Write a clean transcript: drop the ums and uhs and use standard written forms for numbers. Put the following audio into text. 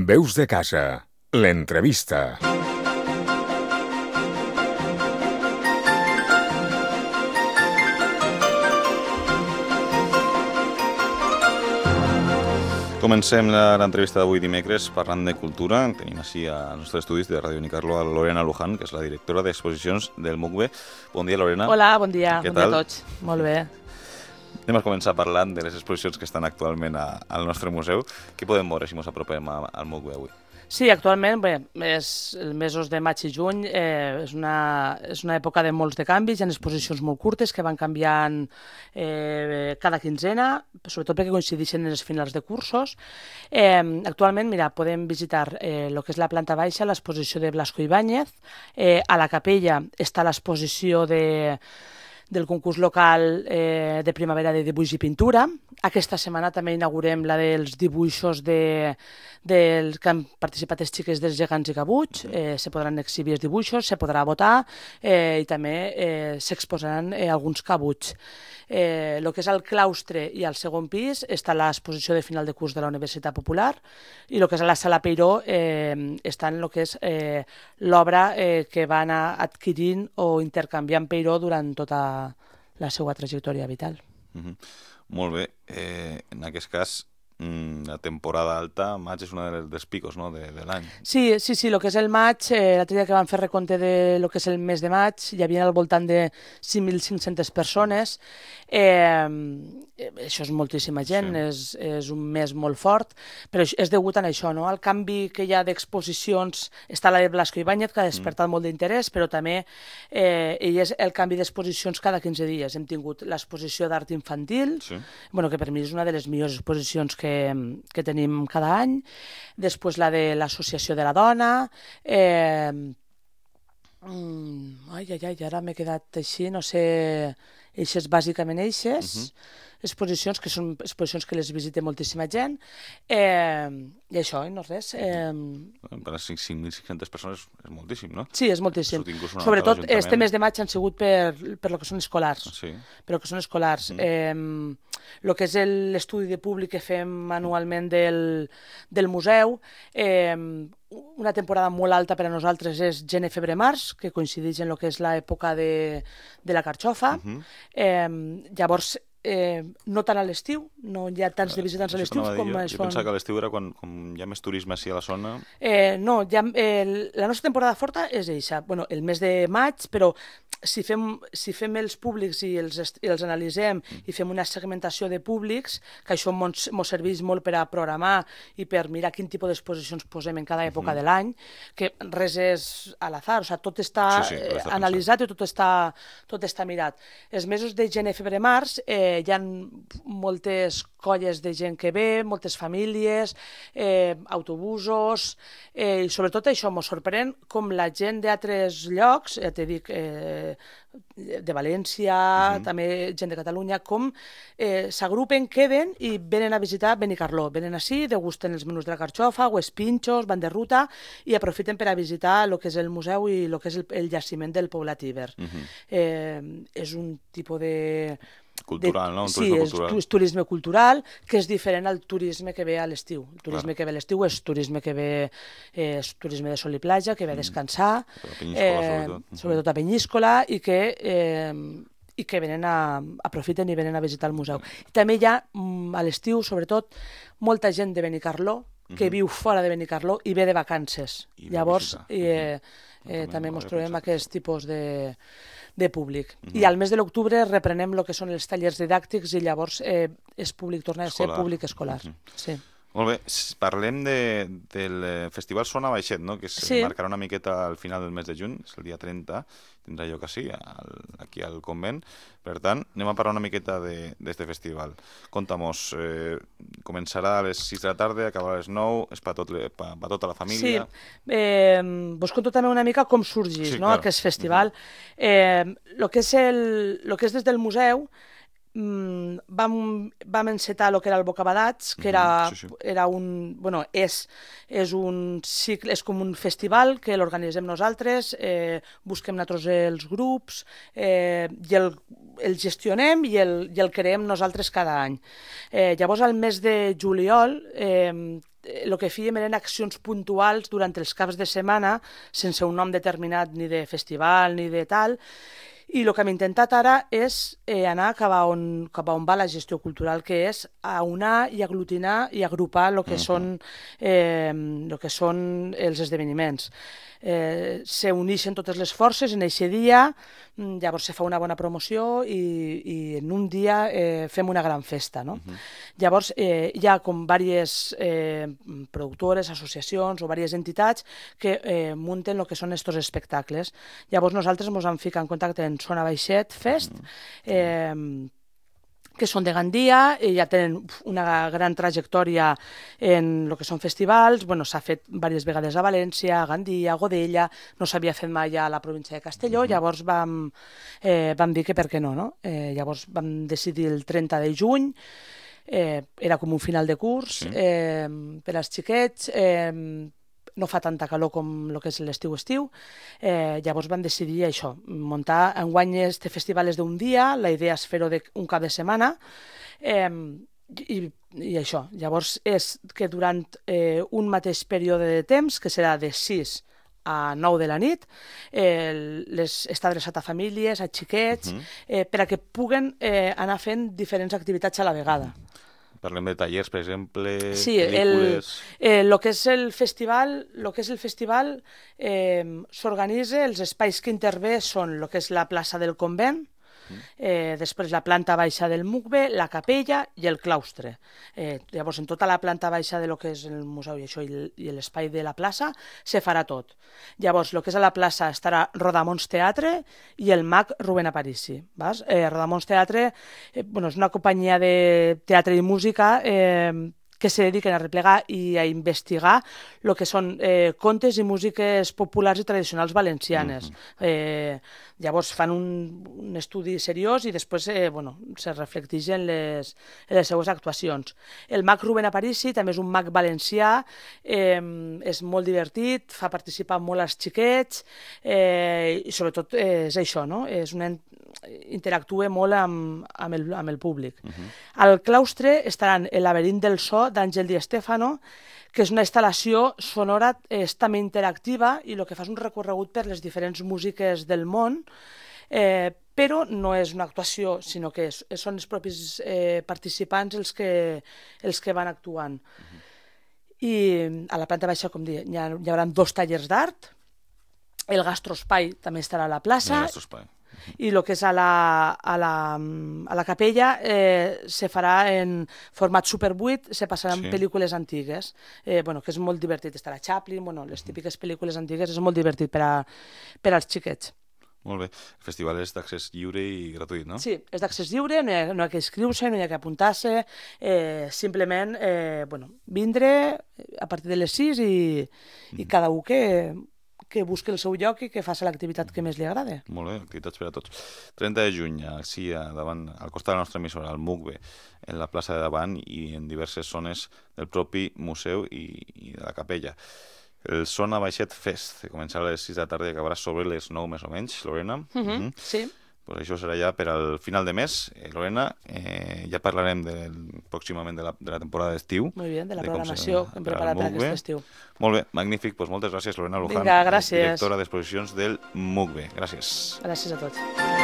Veus de casa, l'entrevista. Comencem l'entrevista d'avui dimecres parlant de cultura. Tenim així als nostres estudis de Ràdio Unicarlo a Lorena Luján, que és la directora d'exposicions del MUCBE. Bon dia, Lorena. Hola, bon dia. Què Bon dia tal? a tots. Molt bé. Anem a començar parlant de les exposicions que estan actualment al nostre museu. Què podem veure si ens apropem al MUCBE avui? Sí, actualment, bé, els mesos de maig i juny és una època de molts de canvis, hi ha exposicions molt curtes que van canviant cada quinzena, sobretot perquè coincideixen en els finals de cursos. Actualment, mira, podem visitar el que és la planta baixa, l'exposició de Blasco Ibáñez, a la capella està l'exposició del concurs local de primavera de dibuix i pintura. Aquesta setmana també inaugurem la dels dibuixos dels que han participat les xiques dels gegants i cabuts. Se podran exhibir els dibuixos, se podrà votar i també s'exposaran alguns cabuts. El que és el claustre i el segon pis està l'exposició de final de curs de la Universitat Popular i el que és a la Sala Peiró està en el que és l'obra que va anar adquirint o intercanviant Peiró durant tota la seva trajectòria vital. Molt bé. En aquest cas, la temporada alta, maig és una dels picos, no?, de l'any. Sí, el que és el maig, l'altre dia que vam fer recompte de lo que és el mes de maig, hi havia al voltant de 5.500 persones. Això és moltíssima gent, sí. És un mes molt fort, però és degut a això, no? Al canvi que hi ha d'exposicions, està la de Blasco Ibáñez, que ha despertat molt d'interès, però també és el canvi d'exposicions cada 15 dies. Hem tingut l'exposició d'art infantil, sí. Que per mi és una de les millors exposicions que tenim cada any, després la de l'Associació de la Dona, ara m'he quedat així, no sé, eixes bàsicament eixes, exposicions que són exposicions que les visita moltíssima gent, i això, i no res. Per a 5.600 persones és moltíssim, no? Sí, és moltíssim. Sobretot este mes de maig han sigut per lo que són escolars. Sí. Per lo que són escolars. El que és l'estudi de públic que fem anualment del museu, una temporada molt alta per a nosaltres és gener, febrer, març, que coincideix en el que és l'època de la carxofa. Llavors, no tant a l'estiu, no hi ha tants de visitants a l'estiu com es fan. Jo pensava que a l'estiu era quan hi ha més turisme a la zona. No, la nostra temporada forta és eixa, el mes de maig, però si fem els públics i els analitzem i fem una segmentació de públics, que això ens serveix molt per a programar i per mirar quin tipus d'exposicions posem en cada època de l'any, que res és a l'azar, tot està analitzat i tot està mirat. Els mesos de gener, febrer, març hi ha moltes colles de gent que ve, moltes famílies, autobusos, i sobretot això m'ho sorprèn com la gent d'altres llocs, ja t'he dit, de València, també gent de Catalunya, com s'agrupen, queden i venen a visitar Benicarló. Venen així, degusten els menús de la carxofa o els pinxos, van de ruta i aprofiten per a visitar el que és el museu i el que és el jaciment del Poblat Iber. És un tipus de... cultural, no? Sí, és turisme cultural, que és diferent al turisme que ve a l'estiu. El turisme que ve a l'estiu és turisme de sol i platja, que ve a descansar, sobretot a Penyíscola, i que aprofiten i venen a visitar el museu. També hi ha, a l'estiu, sobretot, molta gent de Benicarló que viu fora de Benicarló i ve de vacances. Llavors, també ens trobem aquest tipus de públic. I al mes de l'octubre reprenem el que són els tallers didàctics i llavors és públic, torna a ser públic escolar. Sí. Molt bé, parlem del Festival Sona Baixet, no? Que es marcarà una miqueta al final del mes de juny, és el dia 30, tindrà lloc aquí al convent. Per tant, anem a parlar una miqueta d'este festival. Conta-mos, començarà a les 6 de la tarda, acabarà a les 9, és per tota la família. Sí, vos conto també una mica com sorgeix aquest festival. El que és des del museu, vam encetar el que era el Bocabadats, que era un... és un cicle, és com un festival que l'organitzem nosaltres, busquem nosaltres els grups i el gestionem i el creem nosaltres cada any. Llavors, al mes de juliol, el que fèiem eren accions puntuals durant els caps de setmana, sense un nom determinat ni de festival ni de tal, i el que hem intentat ara és anar cap a on va la gestió cultural, que és aunar i aglutinar i agrupar el que són els esdeveniments. S'uneixen totes les forces en aquest dia, llavors se fa una bona promoció i en un dia fem una gran festa, no? Llavors hi ha com diverses productores, associacions o diverses entitats que munten el que són estos espectacles. Llavors nosaltres ens vam ficar en contacte en Sona Baixet Fest, que són de Gandia i ja tenen una gran trajectòria en el que són festivals. Bueno, s'ha fet diverses vegades a València, a Gandia, a Godella, no s'havia fet mai a la província de Castelló, llavors vam dir que per què no, no? Llavors vam decidir el 30 de juny, era com un final de curs per als xiquets, no fa tanta calor com el que és l'estiu-estiu, llavors vam decidir això, muntar enguany este festival és d'un dia, la idea és fer-ho un cap de setmana, i això, llavors és que durant un mateix període de temps, que serà de 6 a 9 de la nit, està adreçat a famílies, a xiquets, per a que puguen anar fent diferents activitats a la vegada. Parlem de tallers, per exemple, sí, pel·lícules... el que és el festival s'organitza, els espais que intervé són el que és la plaça del convent, després la planta baixa del MUCBE, la capella i el claustre. Llavors, en tota la planta baixa de lo que és el museu i això i l'espai de la plaça, se farà tot. Llavors, el que és a la plaça estarà Rodamons Teatre i el MAC Rubén Aparici. Rodamons Teatre és una companyia de teatre i música que se dediquen a replegar i a investigar el que són contes i músiques populars i tradicionals valencianes. Llavors fan un estudi seriós i després se reflecteix en les seues actuacions. El MAC Rubén Aparici també és un MAC valencià, és molt divertit, fa participar molt als xiquets i sobretot és això, no? Interactua molt amb el públic. Al claustre estaran El laberint del so d'Àngel Di Stéfano, que és una instal·lació sonora també interactiva i el que fa és un recorregut per les diferents músiques del món, però no és una actuació, sinó que són els propis participants els que van actuant. I a la planta baixa, com dic, hi haurà 2 tallers d'art, el gastroespai també estarà a la plaça, i el que és a la capella se farà en format Super 8, se passaran pel·lícules antigues, que és molt divertit, estarà Chaplin, les típiques pel·lícules antigues, és molt divertit per als xiquets. Molt bé. El festival és d'accés lliure i gratuït, no? Sí, és d'accés lliure, no hi ha que inscriure-se, no hi ha que apuntar-se, simplement vindre a partir de les 6 i cada un que busqui el seu lloc i que faci l'activitat que més li agrada. Molt bé, activitats per a tots. 30 de juny, així davant, al costat de la nostra emissora, al MUCBE, en la plaça de davant i en diverses zones del propi museu i de la capella. El Sona Baixet Fest, que començarà a les 6 de la tarda i acabarà sobre les 9 més o menys, Lorena. Sí. Pues això serà ja per al final de mes. Lorena, ja parlarem pròximament de la temporada d'estiu. Molt bé, de la programació que hem preparat per aquest estiu. Molt bé, magnífic. Pues moltes gràcies, Lorena Luján, Vinga, gràcies. directora d'exposicions del MUCBE. Gràcies. Gràcies a tots.